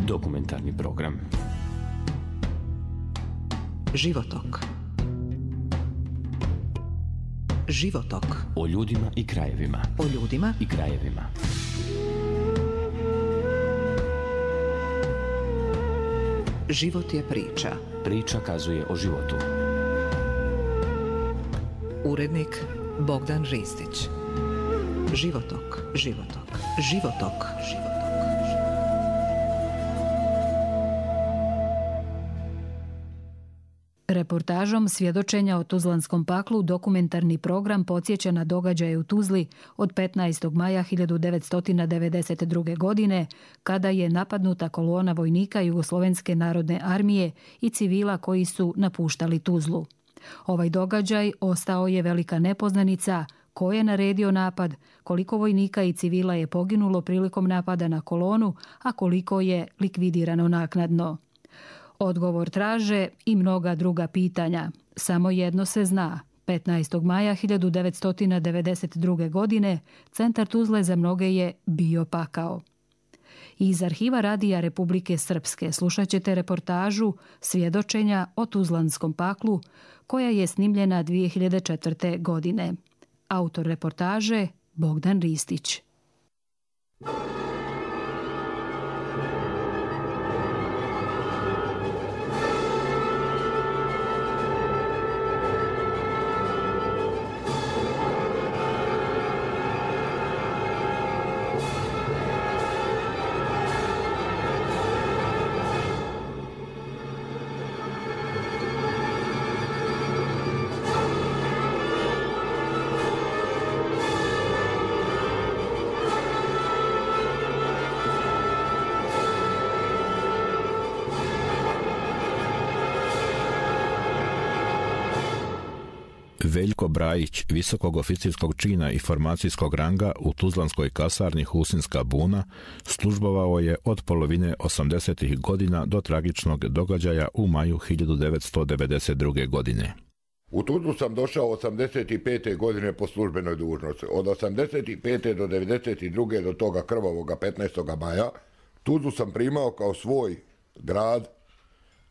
Dokumentarni program. Životok. Životok. O ljudima i krajevima. O ljudima i krajevima. Život je priča. Priča kazuje o životu. Urednik Bogdan Ristić. Životok. Životok. Životok. Životok. Reportažom svjedočenja o Tuzlanskom paklu dokumentarni program podsjeća na događaje u Tuzli od 15. maja 1992. godine, kada je napadnuta kolona vojnika Jugoslovenske narodne armije i civila koji su napuštali Tuzlu. Ovaj događaj ostao je velika nepoznanica, ko je naredio napad, koliko vojnika i civila je poginulo prilikom napada na kolonu, a koliko je likvidirano naknadno. Odgovor traže i mnoga druga pitanja. Samo jedno se zna. 15. maja 1992. godine centar Tuzle za mnoge je bio pakao. Iz arhiva Radija Republike Srpske slušat ćete reportažu svjedočenja o Tuzlanskom paklu, koja je snimljena 2004. godine. Autor reportaže Bogdan Ristić. Veljko Brajić, visokog oficirskog čina i formacijskog ranga u Tuzlanskoj kasarni Husinska buna, službovao je od polovine 80. godina do tragičnog događaja u maju 1992. godine. U Tuzlu sam došao 85. godine po službenoj dužnosti. Od 85. do 92. do toga krvavoga 15. maja Tuzlu sam primao kao svoj grad,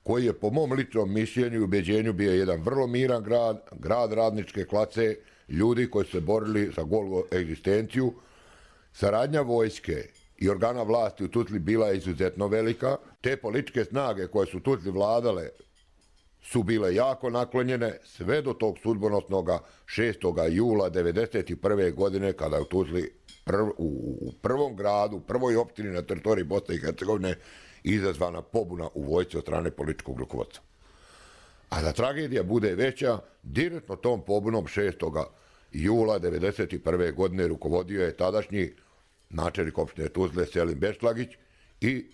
koji je po mom ličnom mišljenju i ubeđenju bio jedan vrlo miran grad, grad radničke klase, ljudi koji su se borili za golu egzistenciju. Saradnja vojske i organa vlasti u Tuzli bila je izuzetno velika. Te političke snage koje su Tuzli vladale su bile jako naklonjene sve do tog sudbonosnog 6. jula 1991. godine, kada je u Tuzli u prvom gradu, prvoj opštini na teritoriji Bosne i Hercegovine izazvana pobuna u vojsci od strane političkog rukovodstva. A da tragedija bude veća, direktno tom pobunom 6. jula 1991. godine rukovodio je tadašnji načelnik opštine Tuzle Selim Bešlagić i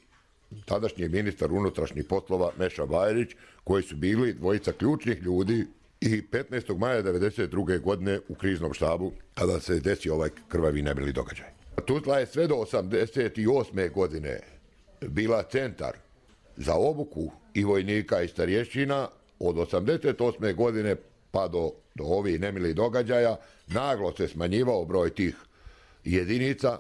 tadašnji ministar unutrašnjih poslova Meša Bajrić, koji su bili dvojica ključnih ljudi i 15. maja 1992. godine u kriznom štabu, kada se desio ovaj krvavi nemili događaj. Tuzla je sve do 1988. godine bila centar za obuku i vojnika i starješćina. Od 1988. godine pa do ovih nemilih događaja naglo se smanjivao broj tih jedinica,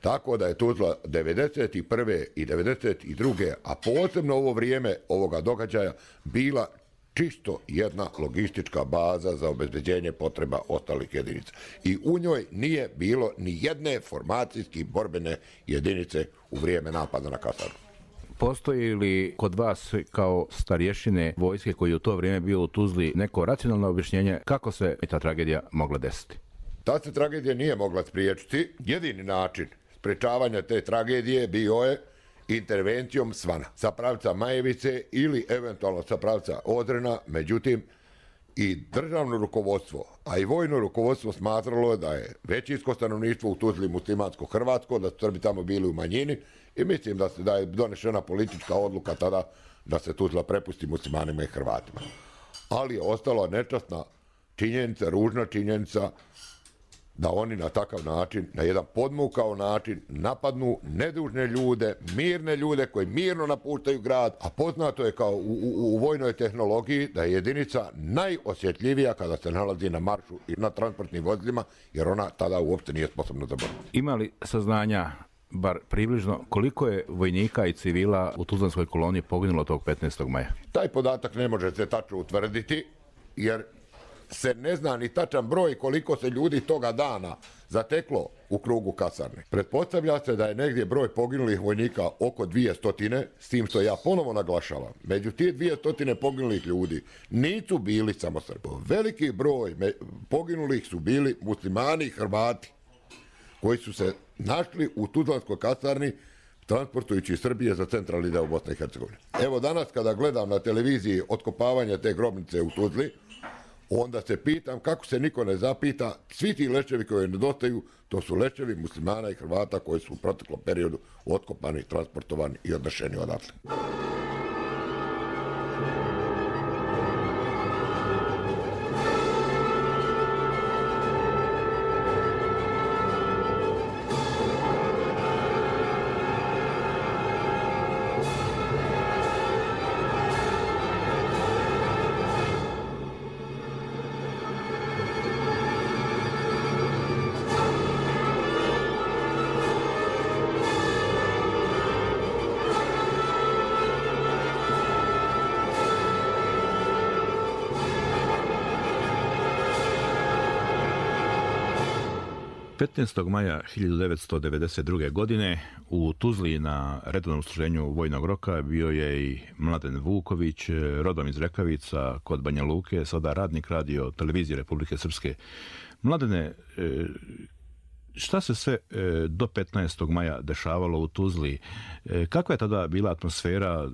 tako da je Tuzla 1991. i 1992. a posebno ovo vrijeme ovoga događaja bila čisto jedna logistička baza za obezbeđenje potreba ostalih jedinica. I u njoj nije bilo ni jedne formacijski borbene jedinice u vrijeme napada na kasarnu. Postoji li kod vas kao starješine vojske koji u to vrijeme bio u Tuzli neko racionalno objašnjenje kako se ta tragedija mogla desiti? Ta se tragedija nije mogla spriječiti. Jedini način sprečavanja te tragedije bio je intervencijom svana sa pravca Majevice ili eventualno sa pravca Odrena. Međutim, i državno rukovodstvo, a i vojno rukovodstvo smatralo da je većinsko stanovništvo u Tuzli muslimansko-hrvatsko, da su Srbi tamo bili u manjini i mislim da je donešena politička odluka tada da se Tuzla prepusti muslimanima i Hrvatima. Ali je ostala nečasna činjenica, ružna činjenica, da oni na takav način, na jedan podmukao način napadnu nedužne ljude, mirne ljude koji mirno napuštaju grad, a poznato je kao u vojnoj tehnologiji da je jedinica najosjetljivija kada se nalazi na maršu i na transportnim vozilima, jer ona tada uopšte nije sposobna za borbu. Ima li saznanja bar približno, koliko je vojnika i civila u tuzlanskoj koloniji poginulo tog 15. maja? Taj podatak ne može se tačno utvrditi, jer se ne zna ni tačan broj koliko se ljudi toga dana zateklo u krugu kasarne. Pretpostavlja se da je negdje broj poginulih vojnika oko 200, s tim što ja ponovo naglašavam. Među tije 200 poginulih ljudi nisu bili samo Srbi. Veliki broj poginulih su bili muslimani i Hrvati, koji su se našli u tuzlanskoj kasarni transportujući iz Srbije za centralni deo Bosne i Hercegovine. Evo danas kada gledam na televiziji otkopavanje te grobnice u Tuzli, onda se pitam kako se niko ne zapita, svi ti leševi koji nedostaju, to su leševi muslimana i Hrvata koji su u proteklom periodu otkopani, transportovani i odnešeni odatle. Maja 1992. godine u Tuzli na redovnom služenju vojnog roka bio je i Mladen Vuković, rodom iz Rekavica kod Banja Luke, sada radnik radio televizije Republike Srpske. Mladene, šta se sve do 15. maja dešavalo u Tuzli? Kakva je tada bila atmosfera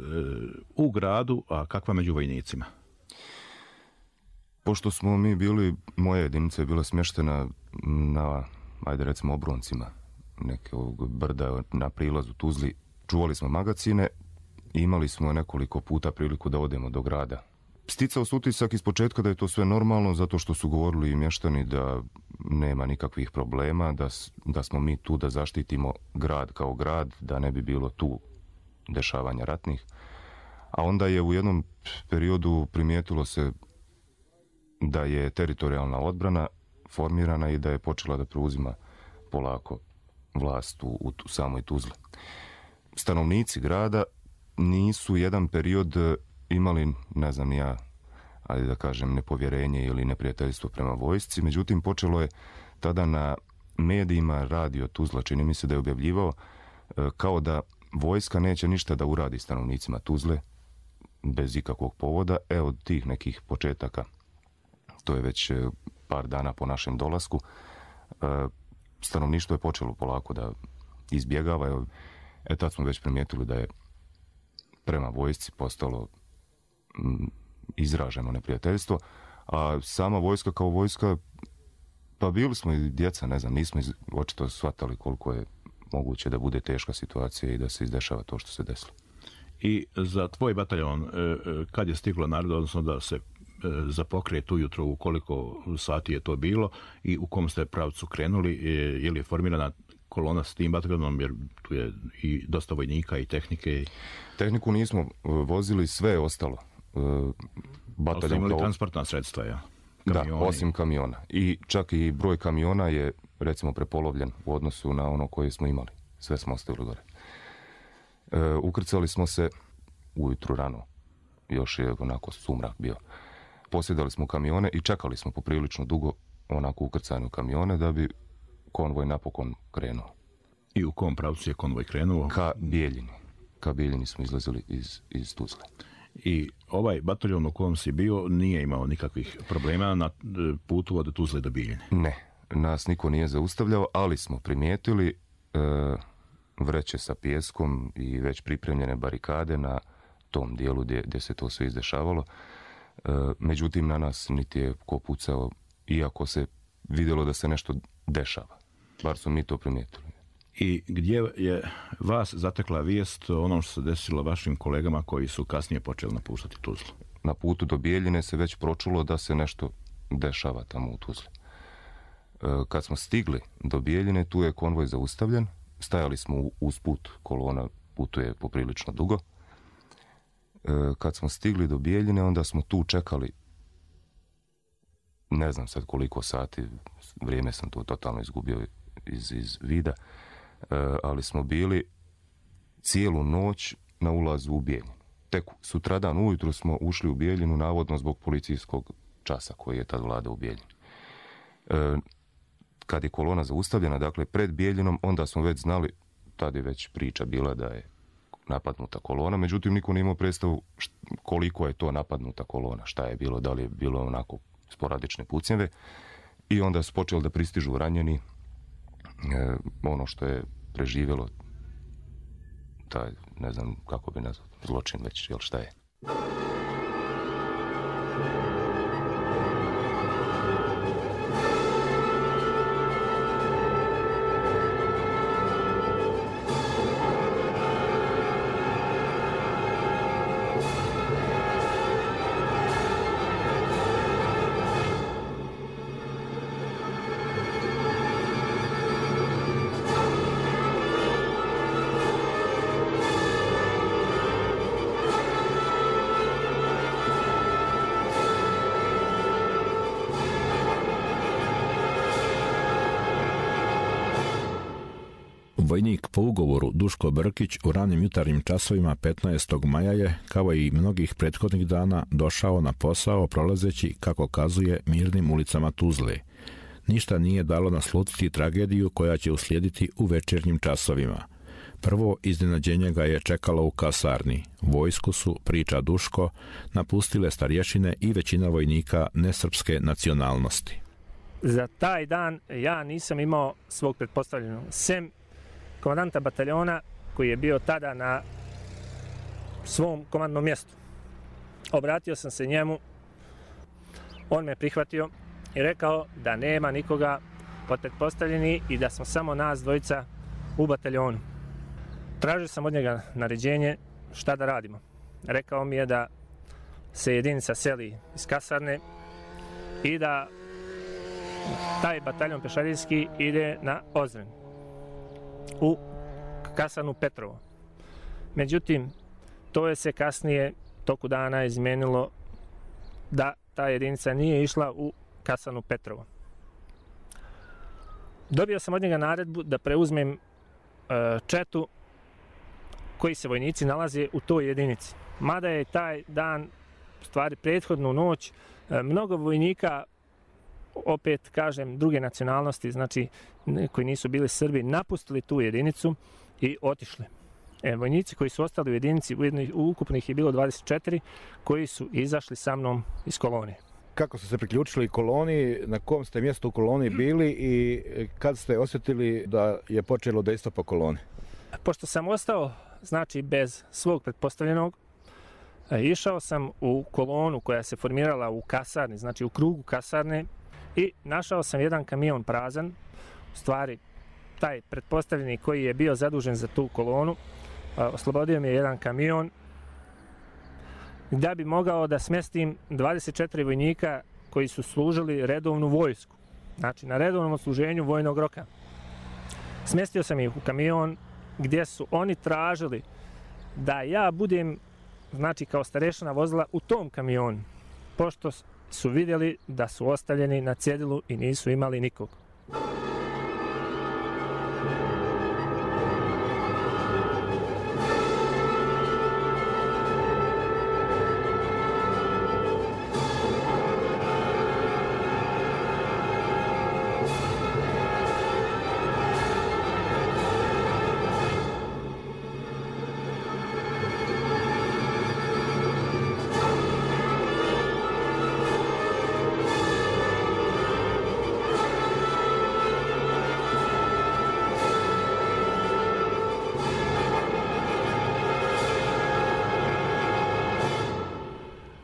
u gradu, a kakva među vojnicima? Pošto smo mi bili, moja jedinica je bila smještena na, ajde recimo, obroncima nekog brda na prilazu Tuzli, čuvali smo magacine i imali smo nekoliko puta priliku da odemo do grada. Sticao se utisak iz početka da je to sve normalno, zato što su govorili i mještani da nema nikakvih problema, da smo mi tu da zaštitimo grad kao grad, da ne bi bilo tu dešavanja ratnih. A onda je u jednom periodu primijetilo se da je teritorijalna odbrana formirana i da je počela da preuzima polako vlast u samoj Tuzli. Stanovnici grada nisu jedan period imali, ne znam ja, ajde da kažem, nepovjerenje ili neprijateljstvo prema vojsci, međutim počelo je tada na medijima radio Tuzla, čini mi se da je objavljivao kao da vojska neće ništa da uradi stanovnicima Tuzle bez ikakvog povoda. Evo od tih nekih početaka, to je već par dana po našem dolasku, stanovništvo je počelo polako da izbjegava. Tad smo već primijetili da je prema vojsci postalo izraženo neprijateljstvo, a sama vojska kao vojska, pa bili smo i djeca, ne znam, nismo očito shvatali koliko je moguće da bude teška situacija i da se izdešava to što se desilo. I za tvoj bataljon, kad je stiglo naroda, odnosno da se zapokret ujutro, u koliko sati je to bilo i u kom ste pravcu krenuli, je li je formirana kolona s tim bataljonom, jer tu je i dosta vojnika i tehnike? Tehniku nismo vozili, sve je ostalo. Ali ste imali transportna sredstva, ja? Kamioni. Da, osim kamiona. I čak i broj kamiona je, recimo, prepolovljen u odnosu na ono koje smo imali. Sve smo ostavili gore. Ukrcali smo se ujutru rano. Još je onako sumrak bio. Posjedali smo kamione i čekali smo poprilično dugo onako ukrcani u kamione da bi konvoj napokon krenuo. I u kom pravcu je konvoj krenuo? Ka Bijeljini. Ka Bijeljini smo izlazili iz Tuzle. I ovaj bataljon u kojem si bio nije imao nikakvih problema na putu od Tuzle do Bijeljine? Ne, nas niko nije zaustavljao, ali smo primijetili vreće sa pijeskom i već pripremljene barikade na tom dijelu gdje se to sve izdešavalo. Međutim, na nas niti je ko pucao, iako se vidjelo da se nešto dešava. Bar su mi to primijetili. I gdje je vas zatekla vijest o onom što se desilo vašim kolegama koji su kasnije počeli napuštati Tuzlu? Na putu do Bijeljine se već pročulo da se nešto dešava tamo u Tuzli. Kad smo stigli do Bijeljine, tu je konvoj zaustavljen. Stajali smo uz put, kolona putuje poprilično dugo. Kad smo stigli do Bijeljine, onda smo tu čekali, ne znam sad koliko sati, vrijeme sam tu totalno izgubio iz vida. ali smo bili cijelu noć na ulazu u Bijeljinu. Tek sutradan ujutru smo ušli u Bijeljinu, navodno zbog policijskog časa koji je tad vlada u Bijeljini. Kad je kolona zaustavljena, dakle pred Bijeljinom, onda smo već znali, tad je već priča bila da je napadnuta kolona, međutim niko nije imao predstavu koliko je to napadnuta kolona, šta je bilo, da li je bilo onako sporadične pucnjeve, i onda su počeli da pristižu ranjeni, ono što je preživjelo taj, ne znam kako bi nazvao, zločin već, jel šta je. Vojnik po ugovoru Duško Brkić u ranim jutarnjim časovima 15. maja je, kao i mnogih prethodnih dana, došao na posao prolazeći, kako kazuje, mirnim ulicama Tuzle. Ništa nije dalo naslutiti tragediju koja će uslijediti u večernjim časovima. Prvo iznenađenje ga je čekalo u kasarni. Vojsku su, priča Duško, napustile starješine i većina vojnika nesrpske nacionalnosti. Za taj dan ja nisam imao svog pretpostavljenog, sem komandanta bataljona koji je bio tada na svom komandnom mjestu. Obratio sam se njemu, on me prihvatio i rekao da nema nikoga od pretpostavljeni i da smo samo nas dvojica u bataljonu. Tražio sam od njega naređenje šta da radimo. Rekao mi je da se jedinica seli iz kasarne i da taj bataljon pešadijski ide na Ozren u kasarnu Petrovo. Međutim, to je se kasnije toku dana izmenilo da ta jedinica nije išla u kasarnu Petrovo. Dobio sam od njega naredbu da preuzmem četu koji se vojnici nalaze u toj jedinici. Mada je taj dan, stvari prethodnu noć, mnogo vojnika, opet kažem, druge nacionalnosti, znači koji nisu bili Srbi, napustili tu jedinicu i otišli. Vojnici koji su ostali u jedinici, u ukupnih je bilo 24, koji su izašli sa mnom iz kolonije. Kako ste se priključili koloni, na kom ste mjestu u koloni bili i kad ste osjetili da je počelo dejstvo po koloni? Pošto sam ostao, znači, bez svog pretpostavljenog, išao sam u kolonu koja se formirala u kasarni, znači u krugu kasarne, i našao sam jedan kamion prazan. U stvari, taj pretpostavljeni koji je bio zadužen za tu kolonu, oslobodio mi je jedan kamion da bi mogao da smjestim 24 vojnika koji su služili redovnu vojsku, znači na redovnom odsluženju vojnog roka. Smjestio sam ih u kamion gdje su oni tražili da ja budem, znači, kao starešina vozila u tom kamionu, pošto su vidjeli da su ostavljeni na cjedilu i nisu imali nikog.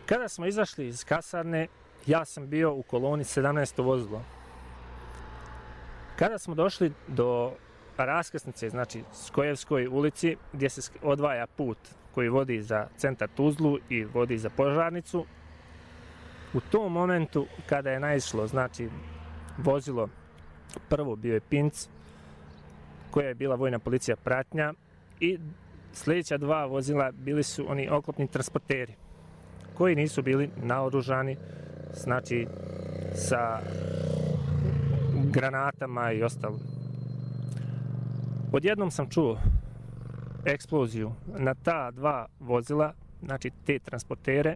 Kada smo izašli iz kasarne, ja sam bio u koloni 17. vozilo. Kada smo došli do raskrsnice, znači Skojevskoj ulici, gdje se odvaja put koji vodi za centar Tuzlu i vodi za Požarnicu, u tom momentu kada je naišlo, znači, vozilo, prvo bio je Pinc, koja je bila vojna policija pratnja, i sljedeća dva vozila bili su oni oklopni transporteri, koji nisu bili naoružani, znači sa granatama i ostalo. Odjednom sam čuo eksploziju na ta dva vozila, znači te transportere,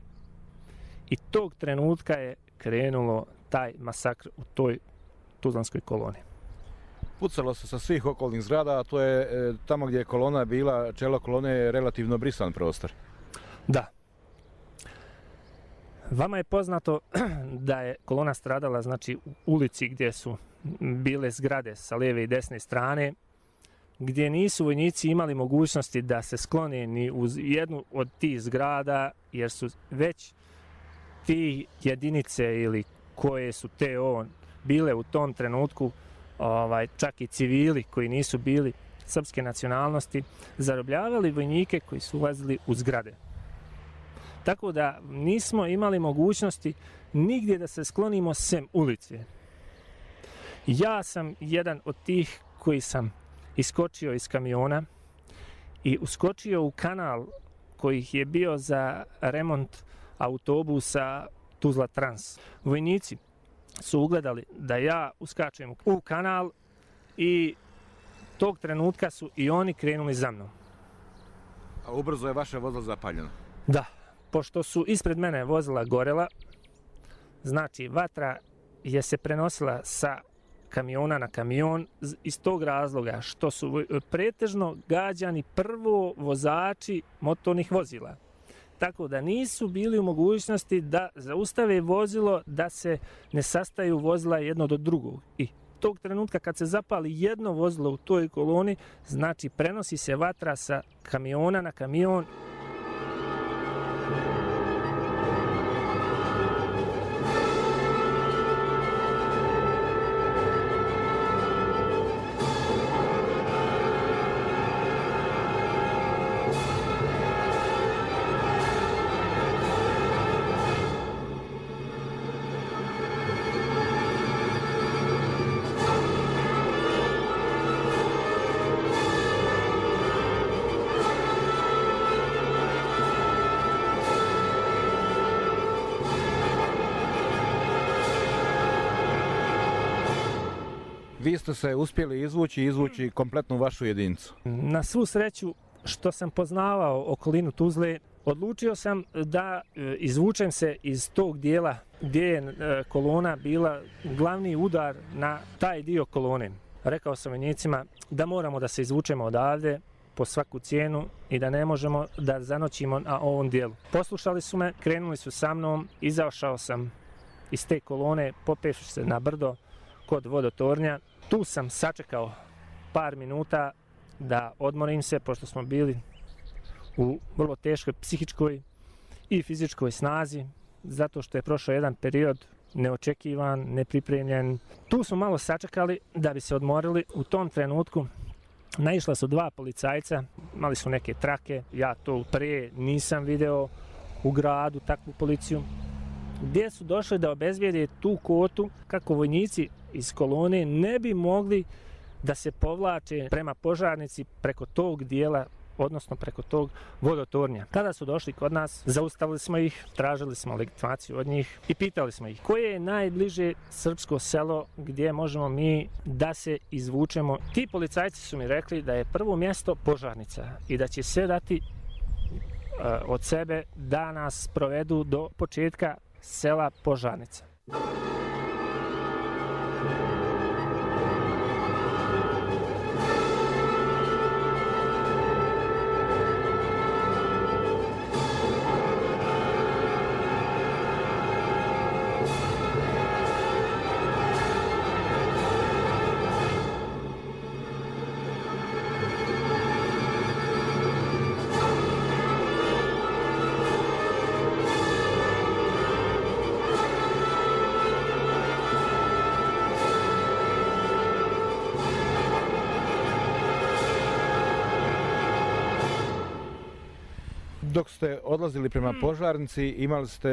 i tog trenutka je krenulo taj masakr u toj tuzlanskoj koloni. Pucalo se sa svih okolnih zgrada, a to je tamo gdje je kolona bila, čelo kolone je relativno brisan prostor. Da. Vama je poznato da je kolona stradala, znači, u ulici gdje su bile zgrade sa lijeve i desne strane, gdje nisu vojnici imali mogućnosti da se sklone ni uz jednu od tih zgrada, jer su već ti jedinice ili koje su TO bile u tom trenutku, čak i civili koji nisu bili srpske nacionalnosti, zarobljavali vojnike koji su ulazili u zgrade. Tako da nismo imali mogućnosti nigdje da se sklonimo sem ulice. Ja sam jedan od tih koji sam iskočio iz kamiona i uskočio u kanal koji je bio za remont autobusa Tuzla Trans. Vojnici su ugledali da ja uskačem u kanal i tog trenutka su i oni krenuli za mnom. A ubrzo je vaše vozilo zapaljeno? Da, pošto su ispred mene vozila gorela, znači vatra je se prenosila sa kamiona na kamion iz tog razloga što su pretežno gađani prvo vozači motornih vozila. Tako da nisu bili u mogućnosti da zaustave vozilo, da se ne sastaju vozila jedno do drugog. I tog trenutka kad se zapali jedno vozilo u toj koloni, znači prenosi se vatra sa kamiona na kamion. Vi ste se uspjeli izvući kompletnu vašu jedinicu. Na svu sreću što sam poznavao okolinu Tuzle, odlučio sam da izvučem se iz tog dijela gdje je kolona bila glavni udar na taj dio kolone. Rekao sam vojnicima da moramo da se izvučemo odavde po svaku cijenu i da ne možemo da zanoćimo na ovom dijelu. Poslušali su me, krenuli su sa mnom, izašao sam iz te kolone, popevši se na brdo kod vodotornja. Tu sam sačekao par minuta da odmorim se, pošto smo bili u vrlo teškoj psihičkoj i fizičkoj snazi, zato što je prošao jedan period neočekivan, nepripremljen. Tu smo malo sačekali da bi se odmorili. U tom trenutku naišla su dva policajca, imali su neke trake, ja to prije nisam video u gradu takvu policiju, gdje su došli da obezbijede tu kotu kako vojnici iz kolone ne bi mogli da se povlače prema požarnici preko tog dijela, odnosno preko tog vodotornja. Tada su došli kod nas, zaustavili smo ih, tražili smo legitimaciju od njih i pitali smo ih koje je najbliže srpsko selo gdje možemo mi da se izvučemo. Ti policajci su mi rekli da je prvo mjesto požarnica i da će sve dati od sebe da nas provedu do početka sela Požarnica. Dok ste odlazili prema Požarnici, imali ste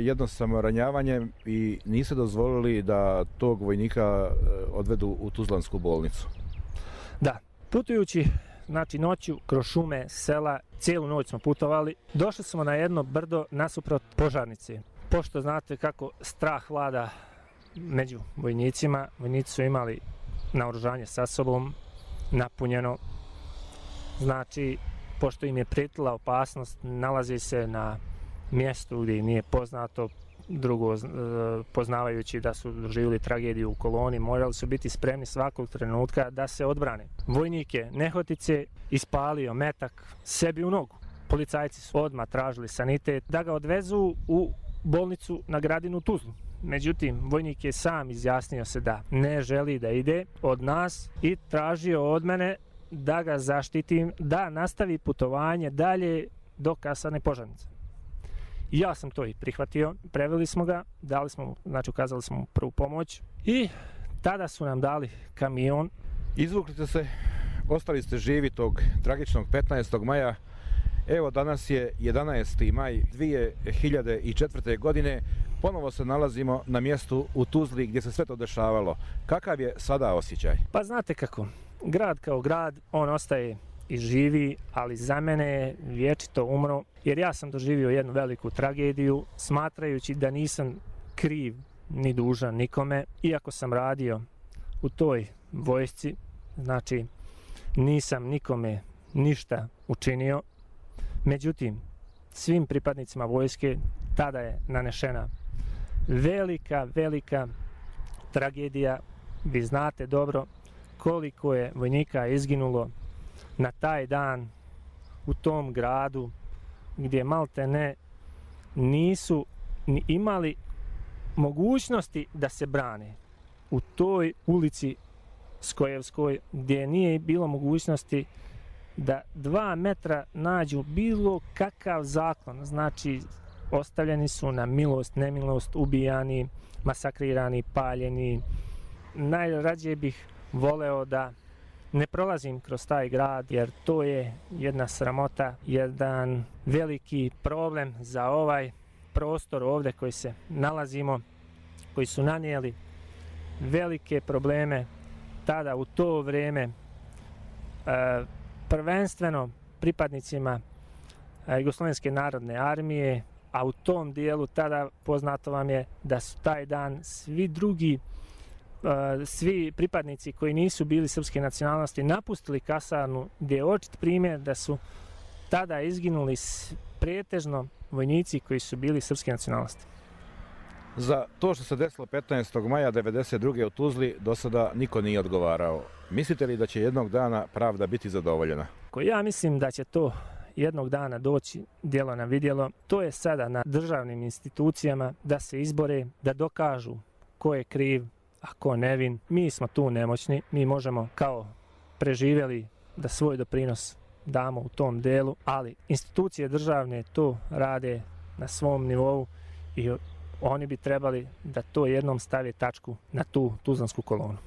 jedno samoranjavanje i niste dozvolili da tog vojnika odvedu u Tuzlansku bolnicu. Da, putujući znači noću kroz šume, sela, cijelu noć smo putovali, došli smo na jedno brdo nasuprot Požarnice. Pošto znate kako strah vlada među vojnicima, vojnici su imali naoružanje sa sobom napunjeno. Znači, pošto im je prijetila opasnost, nalazi se na mjestu gdje im nije poznato, drugo, poznavajući da su doživjeli tragediju u koloni, morali su biti spremni svakog trenutka da se odbrane. Vojnik je nehotice ispalio metak sebi u nogu. Policajci su odmah tražili sanitet da ga odvezu u bolnicu na Gradinu u Tuzlu. Međutim, vojnik je sam izjasnio se da ne želi da ide od nas i tražio od mene da ga zaštitim, da nastavi putovanje dalje do kasarne Požarnica. Ja sam to i prihvatio, preveli smo ga, dali smo, znači ukazali smo mu prvu pomoć i tada su nam dali kamion. Izvukli ste se, ostali ste živi tog tragičnog 15. maja. Evo, danas je 11. maj 2004. godine. Ponovo se nalazimo na mjestu u Tuzli gdje se sve to dešavalo. Kakav je sada osjećaj? Pa znate kako, grad kao grad, on ostaje i živi, ali za mene je vječito umro, jer ja sam doživio jednu veliku tragediju, smatrajući da nisam kriv ni dužan nikome, iako sam radio u toj vojsci, znači nisam nikome ništa učinio. Međutim, svim pripadnicima vojske tada je nanešena velika tragedija. Vi znate dobro koliko je vojnika izginulo na taj dan u tom gradu gdje malte ne nisu ni imali mogućnosti da se brane. U toj ulici Skojevskoj gdje nije bilo mogućnosti da 2 metra nađu bilo kakav zaklon, znači ostavljeni su na milost, nemilost, ubijani, masakrirani, paljeni. Najrađe bih voleo da ne prolazim kroz taj grad, jer to je jedna sramota, jedan veliki problem za ovaj prostor ovdje koji se nalazimo, koji su nanijeli velike probleme tada u to vrijeme, prvenstveno pripadnicima Jugoslovenske narodne armije, a u tom dijelu tada poznato vam je da su taj dan svi pripadnici koji nisu bili srpske nacionalnosti napustili kasarnu, gdje je očit primjer da su tada izginuli pretežno vojnici koji su bili srpske nacionalnosti. Za to što se desilo 15. maja 1992. u Tuzli do sada niko nije odgovarao. Mislite li da će jednog dana pravda biti zadovoljena? Ja mislim da će to jednog dana doći djelo na vidjelo. To je sada na državnim institucijama da se izbore, da dokažu ko je kriv, a ko nevin. Mi smo tu nemoćni, mi možemo kao preživjeli da svoj doprinos damo u tom delu, ali institucije državne to rade na svom nivou i oni bi trebali da to jednom stave tačku na tu tuzlansku kolonu.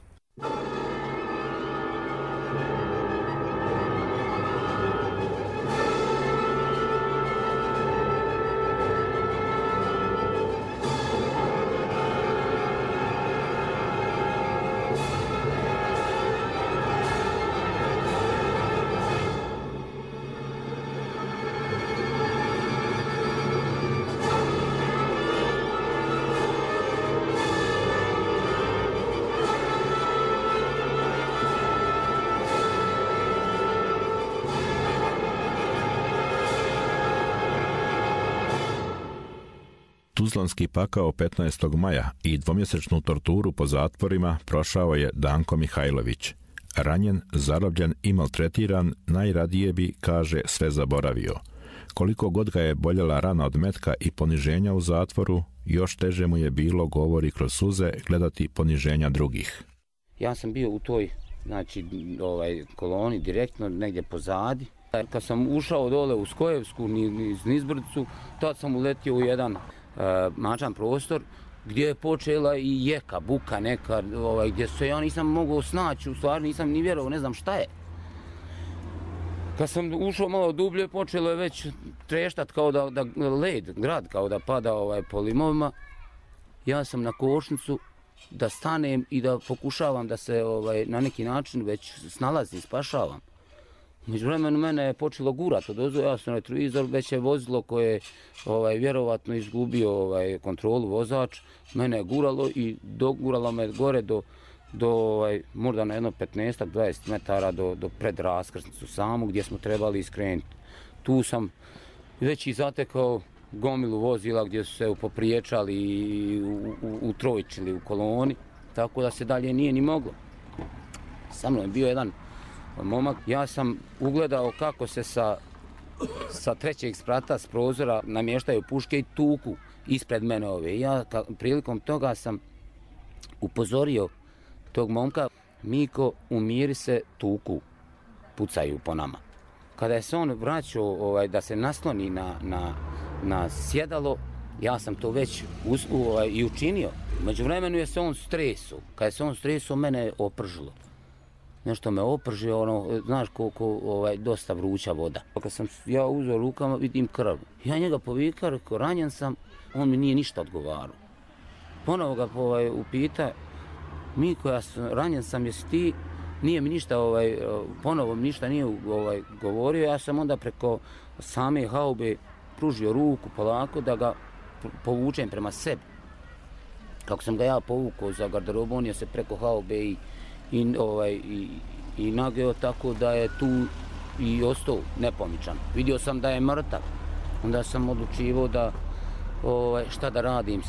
Tuzlanski pakao 15. maja i dvomjesečnu torturu po zatvorima prošao je Danko Mihajlović. Ranjen, zarobljen i maltretiran, najradije bi, kaže, sve zaboravio. Koliko god ga je boljela rana od metka i poniženja u zatvoru, još teže mu je bilo, govori kroz suze, gledati poniženja drugih. Ja sam bio u toj koloni direktno negdje pozadi. Kad sam ušao dole u Skojevsku, niz Nizbrdicu, tad sam uletio u jedan mačan prostor gdje je počela i jeka, buka neka, gdje se ja nisam mogao snaći, u stvari nisam ni vjerovao, ne znam šta je. Kad sam ušao malo dublje, počelo je već treštat kao da led, grad kao da pada po limovima. Ja sam na košnicu da stanem i da pokušavam da se na neki način već snalazim, spašavam. Međuvremenu mene je počelo gurat odozdo, ja sam retrovizor, već je vozilo koje je vjerovatno izgubio kontrolu vozač, mene je guralo i doguralo me gore do možda na jedno 15-20 metara do pred raskrsnicu samu gdje smo trebali iskrenuti. Tu sam već i zatekao gomilu vozila gdje su se popriječali i utrojčili u koloni, tako da se dalje nije ni moglo. Sa mnom je bio jedan momak, ja sam ugledao kako se sa trećeg sprata s prozora namještaju puške i tuku ispred mene ove. Ja prilikom toga sam upozorio tog momka, Miko, umiri se, tuku, pucaju po nama. Kada je se on vraćao da se nasloni na sjedalo, ja sam to već i učinio. Međuvremenu je se on stresao. Kada se on stresao, mene je opržilo. Nešto me opržio, znaš koliko dosta vruća voda. Kad sam ja uzeo rukama, vidim krv. Ja njega povikao, rekao, ranjen sam, on mi nije ništa odgovarao. Ponovo ga upita, Miko, ranjen sam, jesi ti? Nije mi ništa, ponovo mi ništa nije govorio. Ja sam onda preko same haube pružio ruku polako da ga povučem prema sebi. Kako sam ga ja povukao za garderobu, on je se preko haube i nageo, tako da je tu i ostao nepomičan. Vidio sam da je mrtav. Onda sam odlučivao da šta da radim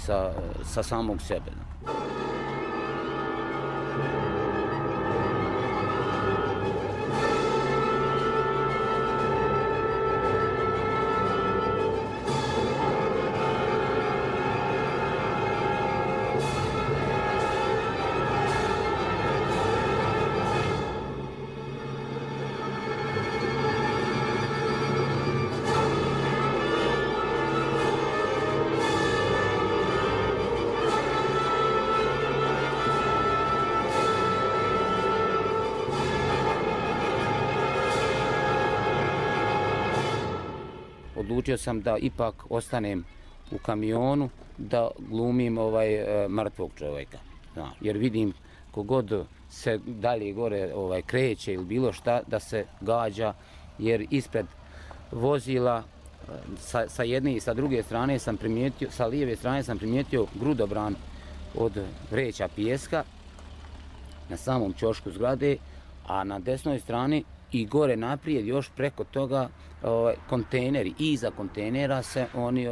sa samog sebe. Odlučio sam da ipak ostanem u kamionu, da glumim mrtvog čovjeka. Jer vidim kogod se dalje gore kreće ili bilo šta, da se gađa, jer ispred vozila sa jedne i sa druge strane sam primijetio, sa lijeve strane sam primijetio grudobran od vreća pijeska na samom ćošku zgrade, a na desnoj strani i gore naprijed još preko toga kontejneri. Iza kontejnera se oni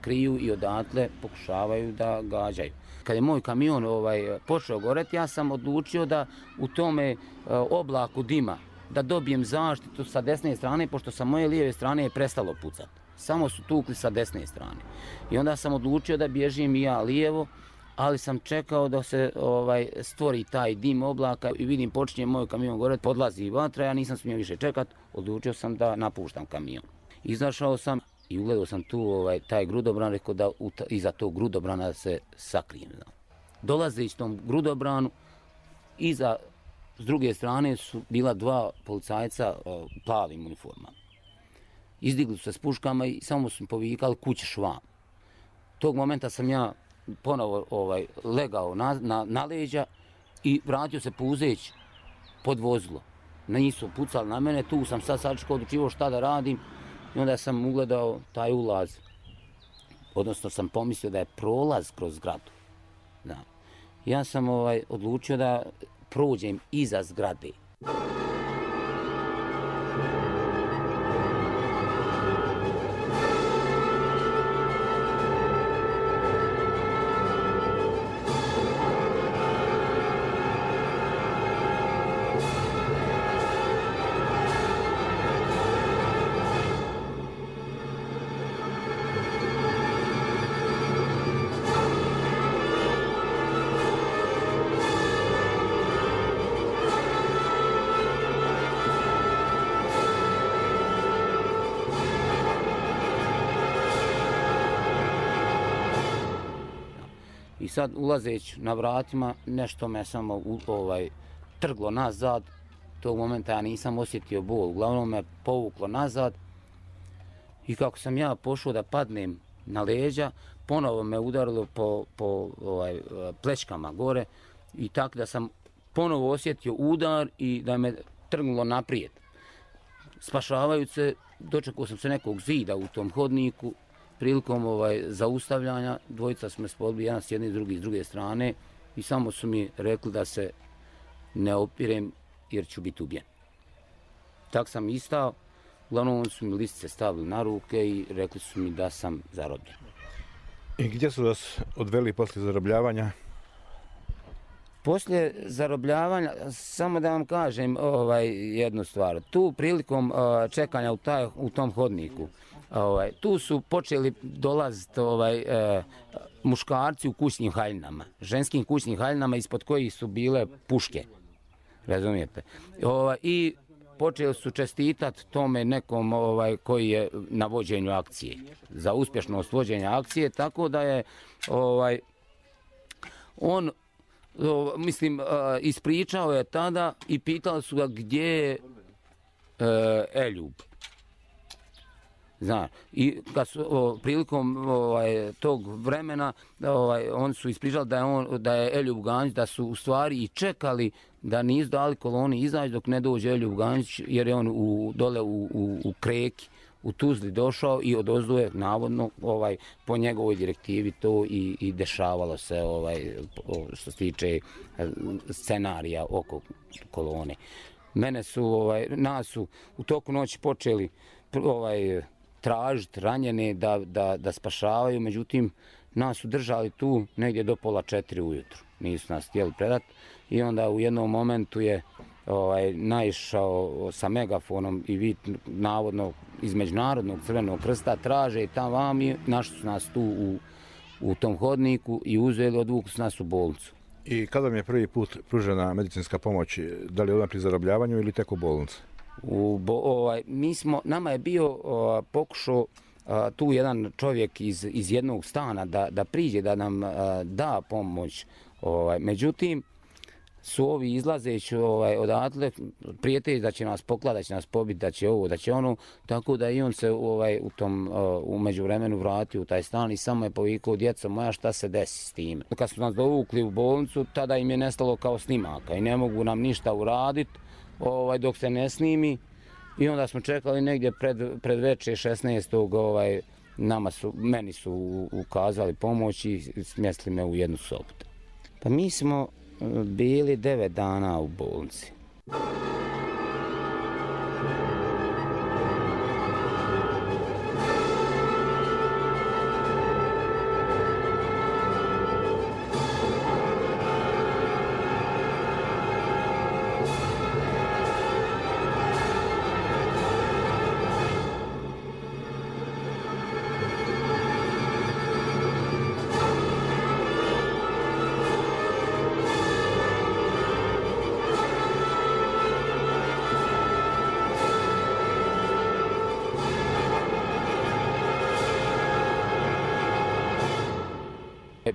kriju i odatle pokušavaju da gađaju. Kad je moj kamion počeo goreti, ja sam odlučio da u tome oblaku dima da dobijem zaštitu sa desne strane, pošto sa moje lijeve strane je prestalo pucati. Samo su tukli sa desne strane. I onda sam odlučio da bježim i ja lijevo, ali sam čekao da se stvori taj dim oblaka i vidim počinje moj kamion goreti, podlazi vatra, ja nisam smio više čekat, odlučio sam da napuštam kamion. Izašao sam i ugledao sam tu taj grudobran, rekao da iza tog grudobrana se sakrijem. Dolazeći tom grudobranu, s druge strane su bila dva policajca u plavim uniformama. Izdigli su se s puškama i samo su mi povikali kućeš vam. Tog momenta sam ja ponovo legao na leđa i vratio se puzeći pod vozilo. Nisu pucali na mene, tu sam sad sačekao, odlučivao šta da radim i onda sam ugledao taj ulaz. Odnosno sam pomislio da je prolaz kroz zgradu. Da. Ja sam odlučio da prođem iza zgrade. I sad ulazeći na vratima, nešto me samo trglo nazad. Tog momenta ja nisam osjetio bol, uglavnom me povuklo nazad. I kako sam ja pošao da padnem na leđa, ponovo me udarilo po plečkama gore i tako da sam ponovo osjetio udar i da me trgnulo naprijed. Spašavajući se, dočekao sam se nekog zida u tom hodniku. Prilikom zaustavljanja, dvojica smo se podbili, jedan s jedne, drugi s druge strane i samo su mi rekli da se ne opirem jer ću biti ubijen. Tak sam istao, uglavnom su mi listice stavili na ruke i rekli su mi da sam zarobljen. I gdje su vas odveli poslije zarobljavanja? Poslije zarobljavanja, samo da vam kažem jednu stvar. Tu prilikom čekanja u tom hodniku, tu su počeli dolaziti muškarci u kućnim haljinama, ženskim kućnim haljinama ispod kojih su bile puške. Razumijete? I počeli su čestitati tome nekom koji je na vođenju akcije, za uspješnost vođenja akcije, tako da je on, ispričao je tada i pitali su ga gdje je Eljub. Zna, i kad su prilikom tog vremena oni su ispričali da je Eljub Ganjić, da su u stvari i čekali da nisu dali koloni izaći dok ne dođe Eljub Ganjić, jer je on dole u Kreki u Tuzli došao i odozdo je navodno po njegovoj direktivi to i dešavalo se što se tiče scenarija oko kolone. Nas su u toku noći počeli tražiti ranjene da spašavaju, međutim nas su držali tu negdje do 3:30 ujutru. Nisu nas htjeli predati i onda u jednom momentu je naišao sa megafonom i vid navodno iz Međunarodnog Crvenog krsta traže i tamo vam i našli su nas tu u tom hodniku i uzeli, odvukli su nas u bolnicu. I kada vam je prvi put pružena medicinska pomoć, da li odmah pri zarobljavanju ili tek u bolnici? Nama je bio pokušao tu jedan čovjek iz jednog stana da priđe, da nam da pomoć. Međutim, su ovi izlazeći odatle prijatelji da će nas pokladati, da će nas pobiti, da će ovo, da će ono, tako da i on se u međuvremenu vratio u taj stan i samo je povikao: djeco moja, šta se desi s tim? Kad su nas dovukli u bolnicu, tada im je nestalo kao snimaka i ne mogu nam ništa uraditi dok se ne snimi. I onda smo čekali negdje pred večer 16. Meni su ukazali pomoć i smjestili me u jednu sobu. Pa mi smo bili 9 dana u bolnici.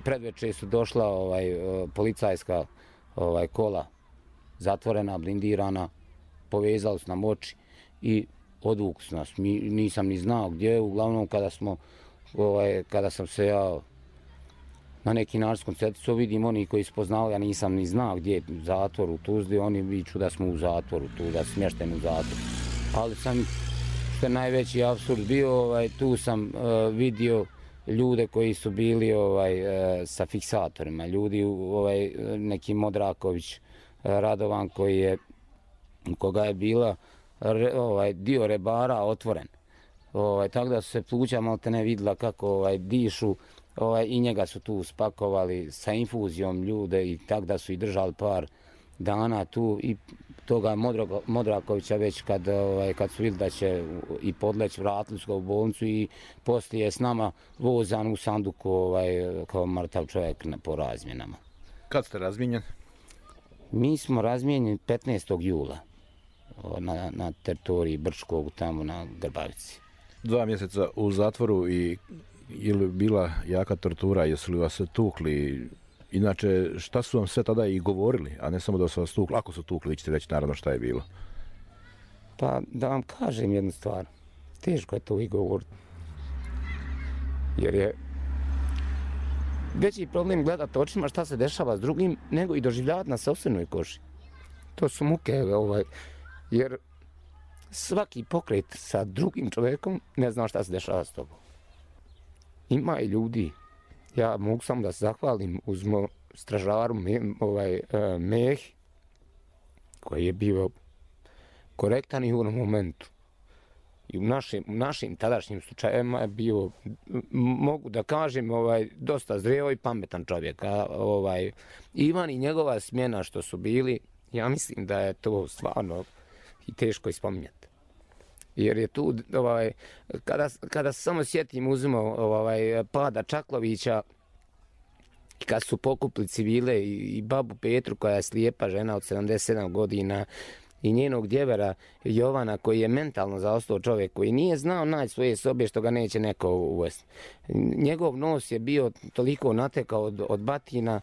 Predvečer su došla policajska kola, zatvorena, blindirana, povezali su nam oči i odvukli su nas. Nisam ni znao gdje, uglavnom kada sam se ja na neki način koncentricao, vidim oni koji su poznali, ja nisam ni znao gdje je zatvor u Tuzli, oni viču da smo u zatvoru, tu da smješteni u zatvoru. Ali što je najveći apsurd bio, tu sam vidio ljude koji su bili sa fiksatorima, ljudi neki Modraković Radovan koga je bila dio rebara otvoren. Tako da su se pluća maltene vidjela kako dišu i njega su tu spakovali sa infuzijom ljude i tako da su i držali par dana tu i toga Modrakovića već kad su vidjeli da će i podleći, vratili su ga u bolnicu i poslije je s nama vozan u sanduku kao mrtav čovjek po razmjenama. Kad ste razmijenjeni? Mi smo razmijenjeni 15. jula na teritoriji Brčkog, tamo na Grbavici. 2 mjeseca u zatvoru i je li bila jaka tortura, jesu li vas tukli? Inače, šta su vam sve tada i govorili, a ne samo da su vas tukli? Ako su tukli, vi ćete reći naravno šta je bilo. Pa da vam kažem jednu stvar, teško je to i govoriti. Jer je veći problem gledati očima šta se dešava s drugim, nego i doživljavati na sopstvenoj koži. To su muke, jer svaki pokret sa drugim čovjekom ne zna šta se dešava s tobom. Ima i ljudi, ja mogu samo da se zahvalim, uzmo stražaru Mehi, koji je bio korektan i u onom momentu. I u našim tadašnjim slučajevima je bio, mogu da kažem, dosta zreo i pametan čovjek. Ivan i njegova smjena što su bili, ja mislim da je to stvarno i teško ispominjati. Jer je tu, kada se samo sjetim, uzmemo pada Čaklovića, kad su pokupili civile i babu Petru, koja je slijepa žena od 77 godina, i njenog djevera Jovana, koji je mentalno zaostao čovjek, koji nije znao naći svoje sobe što ga neće neko uvesti. Njegov nos je bio toliko natekao od batina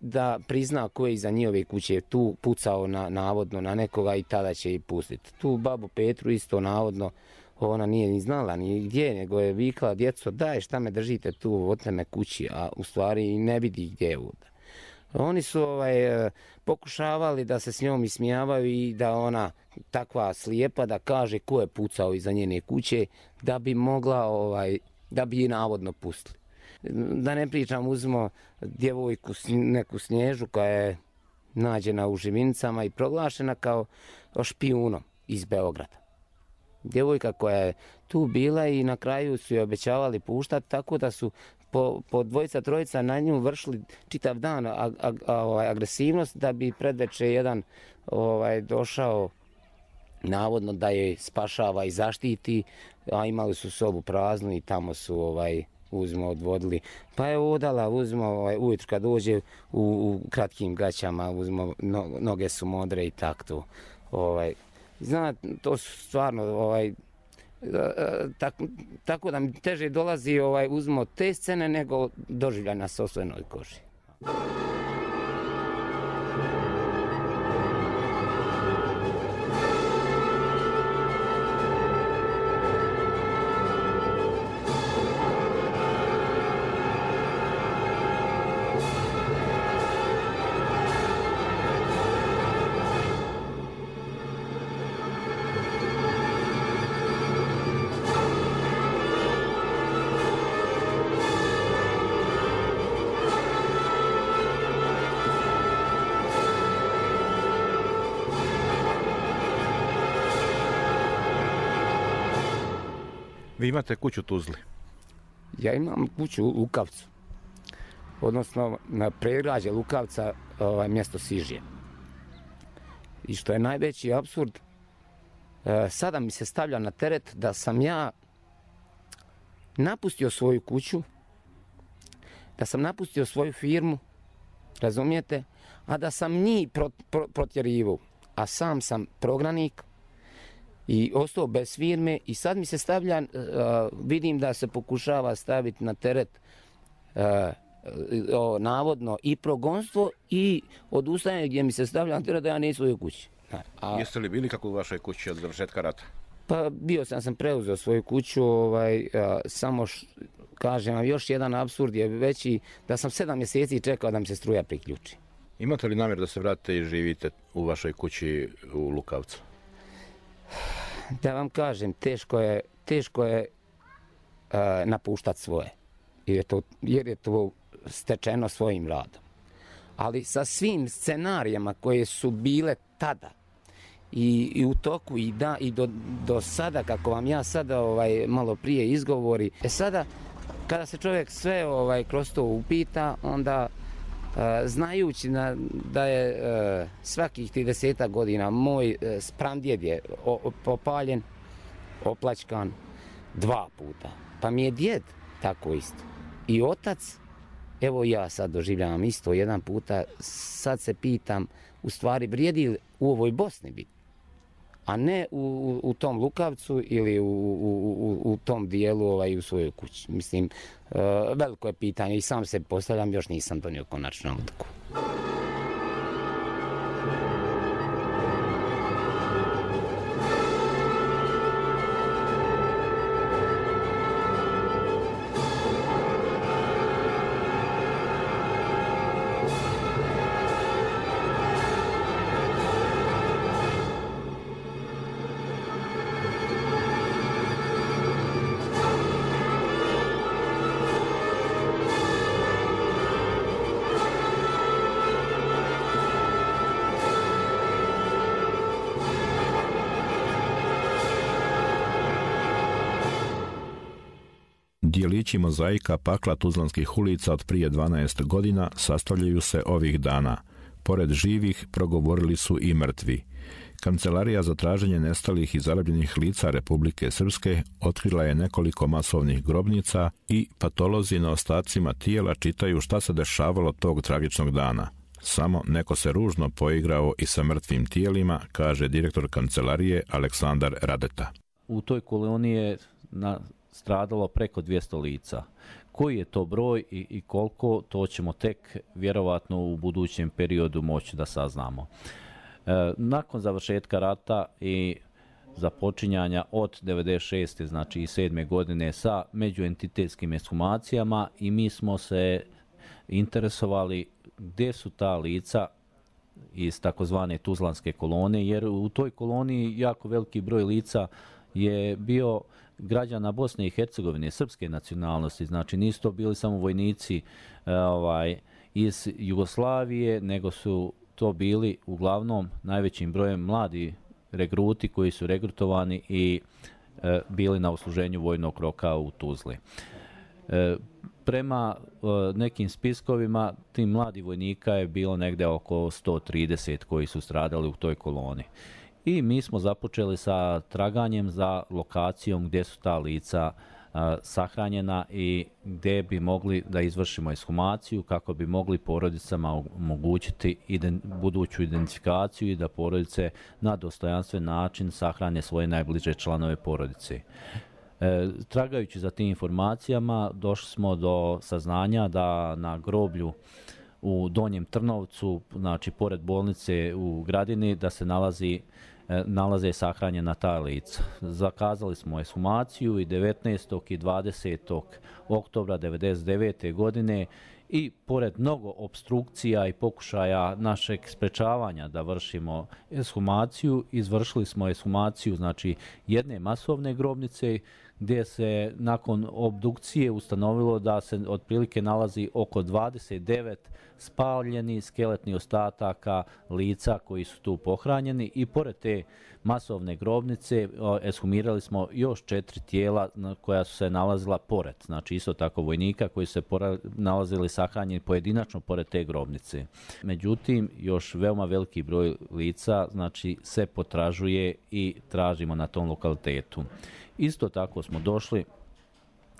da prizna ko je iza njihove kuće tu pucao navodno na nekoga i tada će ih pustiti. Tu babu Petru isto navodno ona nije ni znala ni gdje, nego je vikala: djeco, daj, šta me držite tu, odte me kući, a u stvari ne vidi gdje je ovdje. Oni su pokušavali da se s njom ismijavaju i da ona takva slijepa da kaže ko je pucao iza njene kuće da bi mogla, da bi je navodno pustili. Da ne pričam, uzmo djevojku neku Snježu koja je nađena u Živinicama i proglašena kao špijunom iz Beograda. Djevojka koja je tu bila i na kraju su je obećavali puštati, tako da su po dvojica, trojica na nju vršili čitav dan agresivnost da bi predveče jedan došao navodno da je spašava i zaštiti, a imali su sobu praznu i tamo su odvodili. Pa je odala, ujutro kad dođe u kratkim gaćama, noge su modre i tako. Znate, to su stvarno tako da mi teže dolazi uzmo te scene nego doživljaj na sopstvenoj koži. Vi imate kuću u Tuzli? Ja imam kuću u Lukavcu, odnosno na predgrađe Lukavca, mjesto Sižije. I što je najveći apsurd, sada mi se stavlja na teret da sam ja napustio svoju kuću, da sam napustio svoju firmu, razumijete, a da sam njih protjerivao, a sam sam prognanik i ostao bez firme i sad mi se stavlja, vidim da se pokušava staviti na teret navodno i progonstvo i odustajanje gdje mi se stavlja na teret da ja nisam u svojoj kući. Jeste li bili kako u vašoj kući od završetka rata? Pa bio sam preuzeo svoju kuću, samo kažem vam, još jedan apsurd je veći, da sam 7 mjeseci čekao da mi se struja priključi. Imate li namjer da se vratite i živite u vašoj kući u Lukavcu? Da vam kažem, teško je napuštati svoje, jer je to stečeno svojim radom. Ali sa svim scenarijama koje su bile tada i u toku i do sada, kako vam ja sada malo prije izgovori, sada kada se čovjek sve kroz to upita, onda znajući da je svakih 30 godina moj spramdjed je popaljen, oplačkan 2 puta. Pa mi je djed tako isto. I otac, evo ja sad doživljavam isto 1 puta, sad se pitam, u stvari vrijedi li u ovoj Bosni biti, a ne u tom Lukavcu ili u tom dijelu u svojoj kući. Mislim, veliko je pitanje i sam se postavljam, još nisam donio konačnu odluku. Dijelići mozaika pakla tuzlanskih ulica od prije 12 godina sastavljaju se ovih dana. Pored živih progovorili su i mrtvi. Kancelarija za traženje nestalih i zarobljenih lica Republike Srpske otkrila je nekoliko masovnih grobnica i patolozi na ostacima tijela čitaju šta se dešavalo tog tragičnog dana. Samo neko se ružno poigrao i sa mrtvim tijelima, kaže direktor kancelarije Aleksandar Radeta. U toj koloni je stradalo preko 200 lica. Koji je to broj i koliko, to ćemo tek vjerovatno u budućem periodu moći da saznamo. Nakon završetka rata i započinjanja od 96. znači i 7. godine sa međuentitetskim ekshumacijama i mi smo se interesovali gdje su ta lica iz takozvane tuzlanske kolone, jer u toj koloniji jako veliki broj lica je bio građana Bosne i Hercegovine, srpske nacionalnosti, znači nisu to bili samo vojnici iz Jugoslavije, nego su to bili uglavnom najvećim brojem mladi regruti koji su regrutovani i bili na usluženju vojnog roka u Tuzli. Prema nekim spiskovima, tim mladi vojnika je bilo negde oko 130 koji su stradali u toj koloni. I mi smo započeli sa traganjem za lokacijom gdje su ta lica sahranjena i gdje bi mogli da izvršimo ekshumaciju kako bi mogli porodicama omogućiti buduću identifikaciju i da porodice na dostojanstven način sahrane svoje najbliže članove porodice. Tragajući za tim informacijama došli smo do saznanja da na groblju u Donjem Trnovcu, znači pored bolnice u Gradini, da se nalaze sahranjena ta lica. Zakazali smo ekshumaciju i 19. i 20. oktobra 1999. godine i pored mnogo opstrukcija i pokušaja našeg sprečavanja da vršimo ekshumaciju, izvršili smo ekshumaciju znači jedne masovne grobnice gdje se nakon obdukcije ustanovilo da se otprilike nalazi oko 29 spaljenih skeletnih ostataka lica koji su tu pohranjeni i pored te masovne grobnice ekshumirali smo još 4 tijela koja su se nalazila pored, znači isto tako vojnika koji su se nalazili sahranjeni pojedinačno pored te grobnice. Međutim, još veoma veliki broj lica znači se potražuje i tražimo na tom lokalitetu. Isto tako smo došli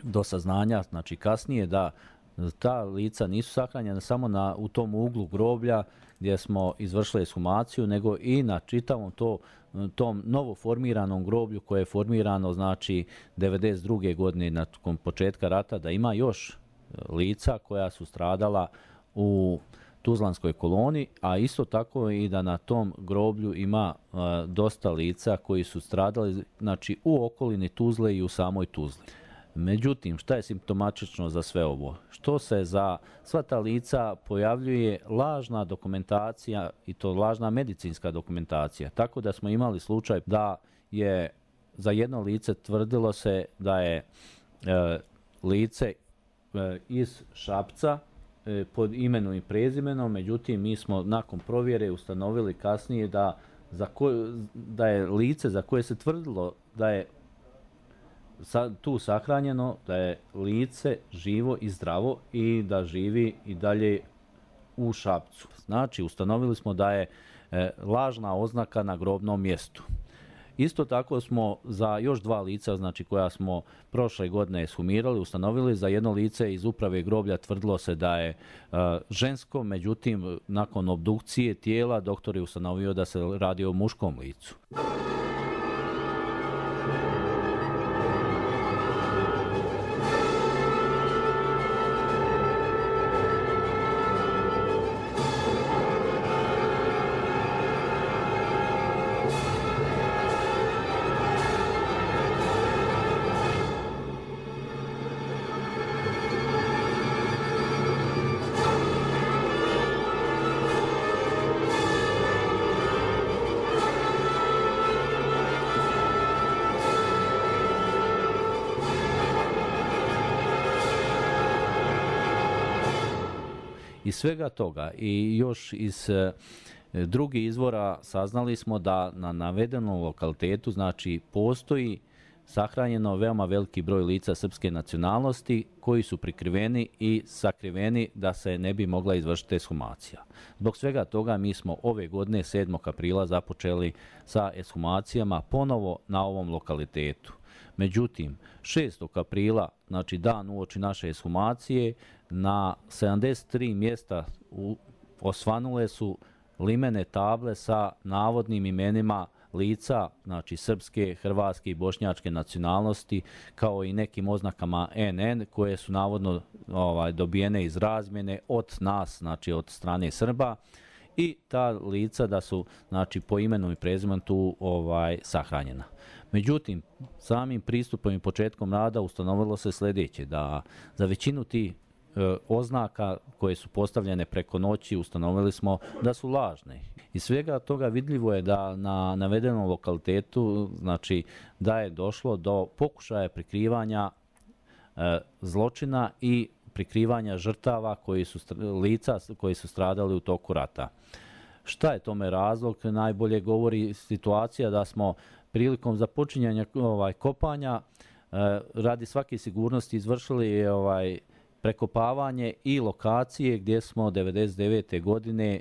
do saznanja, znači kasnije da ta lica nisu sahranjena samo u tom uglu groblja gdje smo izvršili ekshumaciju, nego i na čitavom tom novo formiranom groblju koje je formirano znači 92. godine nakon početka rata, da ima još lica koja su stradala u tuzlanskoj koloni, a isto tako i da na tom groblju ima dosta lica koji su stradali znači u okolini Tuzle i u samoj Tuzli. Međutim, šta je simptomatično za sve ovo? Što se za sva ta lica pojavljuje lažna dokumentacija i to lažna medicinska dokumentacija. Tako da smo imali slučaj da je za jedno lice tvrdilo se da je lice iz Šapca pod imenom i prezimenom, međutim mi smo nakon provjere ustanovili kasnije da je lice za koje se tvrdilo da je tu sahranjeno, da je lice živo i zdravo i da živi i dalje u Šapcu. Znači, ustanovili smo da je lažna oznaka na grobnom mjestu. Isto tako smo za još 2 lica, znači koja smo prošle godine ekshumirali, ustanovili. Za jedno lice iz uprave groblja tvrdilo se da je žensko, međutim, nakon obdukcije tijela doktor je ustanovio da se radi o muškom licu. Iz svega toga i još iz drugih izvora saznali smo da na navedenom lokalitetu znači postoji sahranjeno veoma veliki broj lica srpske nacionalnosti koji su prikriveni i sakriveni da se ne bi mogla izvršiti ekshumacija. Zbog svega toga mi smo ove godine 7. aprila započeli sa ekshumacijama ponovo na ovom lokalitetu. Međutim, 6. aprila, znači dan uoči naše ekshumacije, na 73 mjesta osvanule su limene table sa navodnim imenima lica, znači srpske, hrvatske i bošnjačke nacionalnosti, kao i nekim oznakama NN koje su navodno dobijene iz razmjene od nas, znači od strane Srba, i ta lica da su, znači, po imenu i prezimenu tu sahranjena. Međutim, samim pristupom i početkom rada ustanovilo se sljedeće, da za većinu tih oznaka koje su postavljene preko noći ustanovili smo da su lažne. Iz svega toga vidljivo je da na navedenom lokalitetu, znači, da je došlo do pokušaja prikrivanja zločina i prikrivanja žrtava lica koji su stradali u toku rata. Šta je tome razlog? Najbolje govori situacija da smo prilikom započinjanja kopanja radi svake sigurnosti izvršili prekopavanje i lokacije gdje smo 1999. godine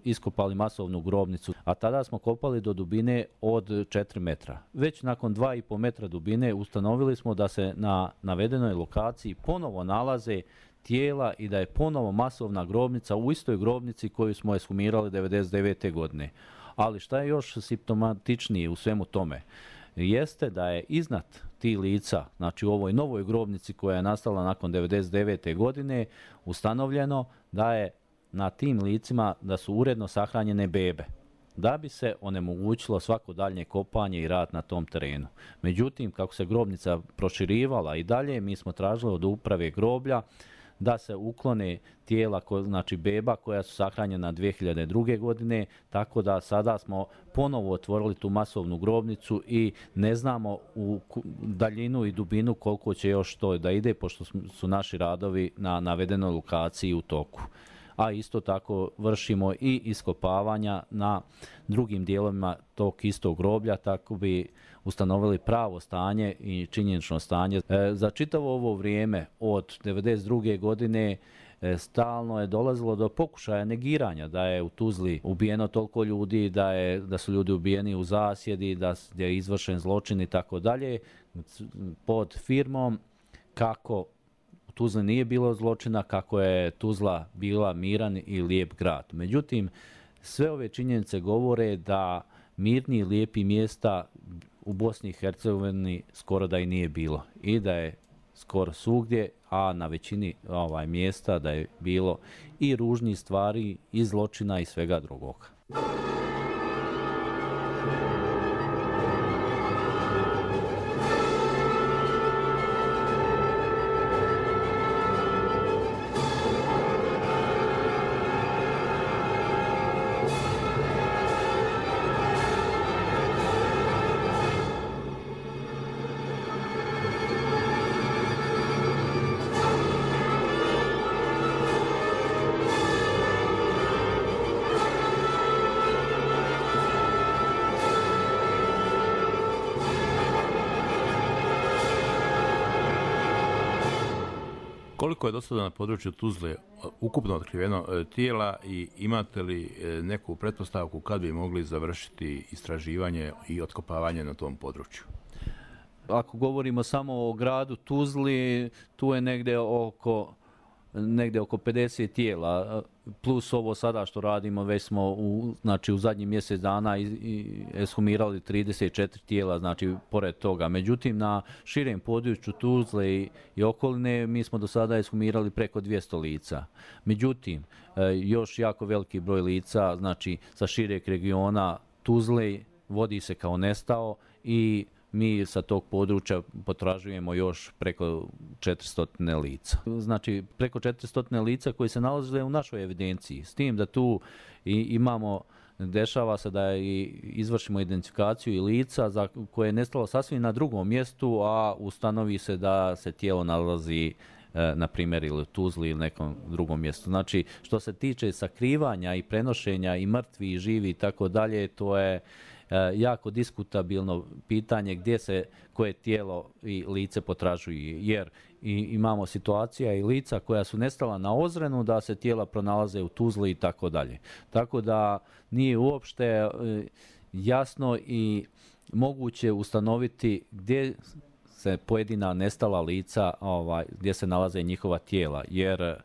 iskopali masovnu grobnicu, a tada smo kopali do dubine od 4 metra. Već nakon 2,5 metra dubine ustanovili smo da se na navedenoj lokaciji ponovo nalaze tijela i da je ponovo masovna grobnica u istoj grobnici koju smo ekshumirali 1999. godine. Ali šta je još simptomatičnije u svemu tome? Jeste da je iznad tih lica, znači u ovoj novoj grobnici koja je nastala nakon 1999. godine, ustanovljeno da je na tim licima da su uredno sahranjene bebe, da bi se onemogućilo svako daljnje kopanje i rad na tom terenu. Međutim, kako se grobnica proširivala i dalje, mi smo tražili od uprave groblja da se uklone tijela, znači beba koja su sahranjena 2002. godine, tako da sada smo ponovo otvorili tu masovnu grobnicu i ne znamo u daljinu i dubinu koliko će još to da ide, pošto su naši radovi na navedenoj lokaciji u toku. A isto tako vršimo i iskopavanja na drugim dijelovima tog istog groblja, tako bi ustanovili pravo stanje i činjenično stanje. Za čitavo ovo vrijeme od 1992. godine stalno je dolazilo do pokušaja negiranja da je u Tuzli ubijeno toliko ljudi, da su ljudi ubijeni u zasjedi, da je izvršen zločin i tako dalje, pod firmom kako u Tuzli nije bilo zločina, kako je Tuzla bila miran i lijep grad. Međutim, sve ove činjenice govore da mirni i lijepi mjesta u Bosni i Hercegovini skoro da i nije bilo i da je skoro svugdje, a na većini mjesta da je bilo i ružnih stvari, i zločina i svega drugog. Koliko je do sada na području Tuzle ukupno otkriveno tijela i imate li neku pretpostavku kad bi mogli završiti istraživanje i otkopavanje na tom području? Ako govorimo samo o gradu Tuzli, tu je negdje oko 50 tijela, plus ovo sada što radimo, već smo u zadnjih mjesec dana ekshumirali 34 tijela, znači pored toga. Međutim, na širem području Tuzle i okoline mi smo do sada ekshumirali preko 200 lica. Međutim, još jako veliki broj lica, znači sa šireg regiona Tuzle vodi se kao nestao i mi sa tog područja potražujemo još preko 400 lica. Znači, preko 400 lica koji se nalaze u našoj evidenciji. S tim da tu dešava se da izvršimo identifikaciju i lica za koje je nestalo sasvim na drugom mjestu, a ustanovi se da se tijelo nalazi na primjer ili u Tuzli ili nekom drugom mjestu. Znači, što se tiče sakrivanja i prenošenja i mrtvi i živi i tako dalje, to je jako diskutabilno pitanje gdje se koje tijelo i lice potražuje, jer imamo situacija i lica koja su nestala na Ozrenu da se tijela pronalaze u Tuzli i tako dalje. Tako da nije uopšte jasno i moguće ustanoviti gdje se pojedina nestala lica, gdje se nalaze njihova tijela, jer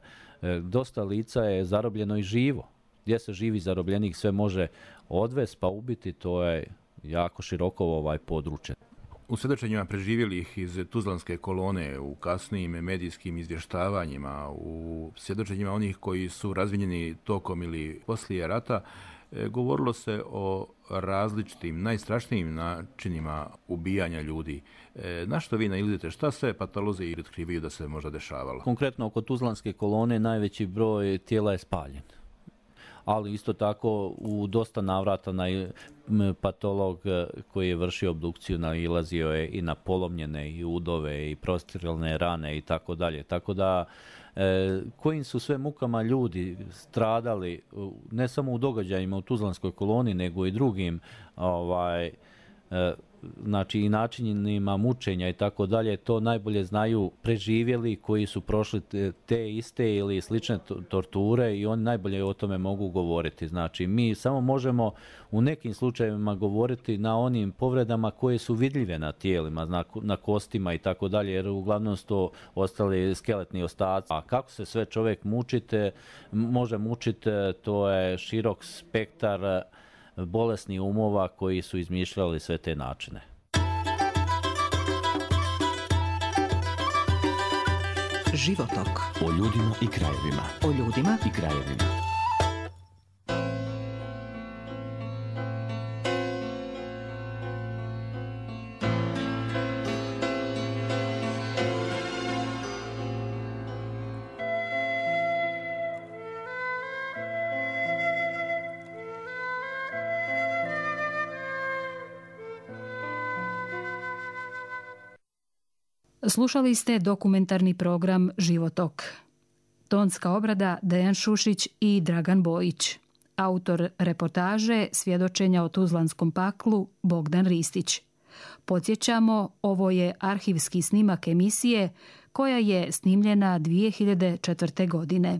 dosta lica je zarobljeno i živo. Gdje se živi zarobljenik sve može odvesti pa ubiti, to je jako široko područje. U svjedočenjima preživjelih iz Tuzlanske kolone, u kasnijim medijskim izvještavanjima, u svjedočenjima onih koji su razvinjeni tokom ili poslije rata, govorilo se o različitim, najstrašnijim načinima ubijanja ljudi. Na što vi nailazite? Šta sve patolozi i otkrivaju da se možda dešavalo? Konkretno oko Tuzlanske kolone najveći broj tijela je spaljen. Ali isto tako u dosta navrata patolog koji je vršio obdukciju nailazio je i na polomljene i udove i prostiralne rane i tako dalje. Tako da kojim su sve mukama ljudi stradali ne samo u događajima u Tuzlanskoj koloni nego i drugim znači i načinima mučenja i tako dalje, to najbolje znaju preživjeli koji su prošli te iste ili slične torture i oni najbolje o tome mogu govoriti. Znači mi samo možemo u nekim slučajevima govoriti na onim povredama koje su vidljive na tijelima, na kostima i tako dalje, jer uglavnom su to ostali skeletni ostaci. A kako se sve čovjek može mučiti, to je širok spektar bolesnih umova koji su izmišljali sve te načine. Životok. O ljudima i krajevima. O ljudima i krajevima. Slušali ste dokumentarni program Životok. Tonska obrada Dejan Šušić i Dragan Bojić. Autor reportaže svjedočenja o Tuzlanskom paklu Bogdan Ristić. Podsjećamo, ovo je arhivski snimak emisije koja je snimljena 2004. godine.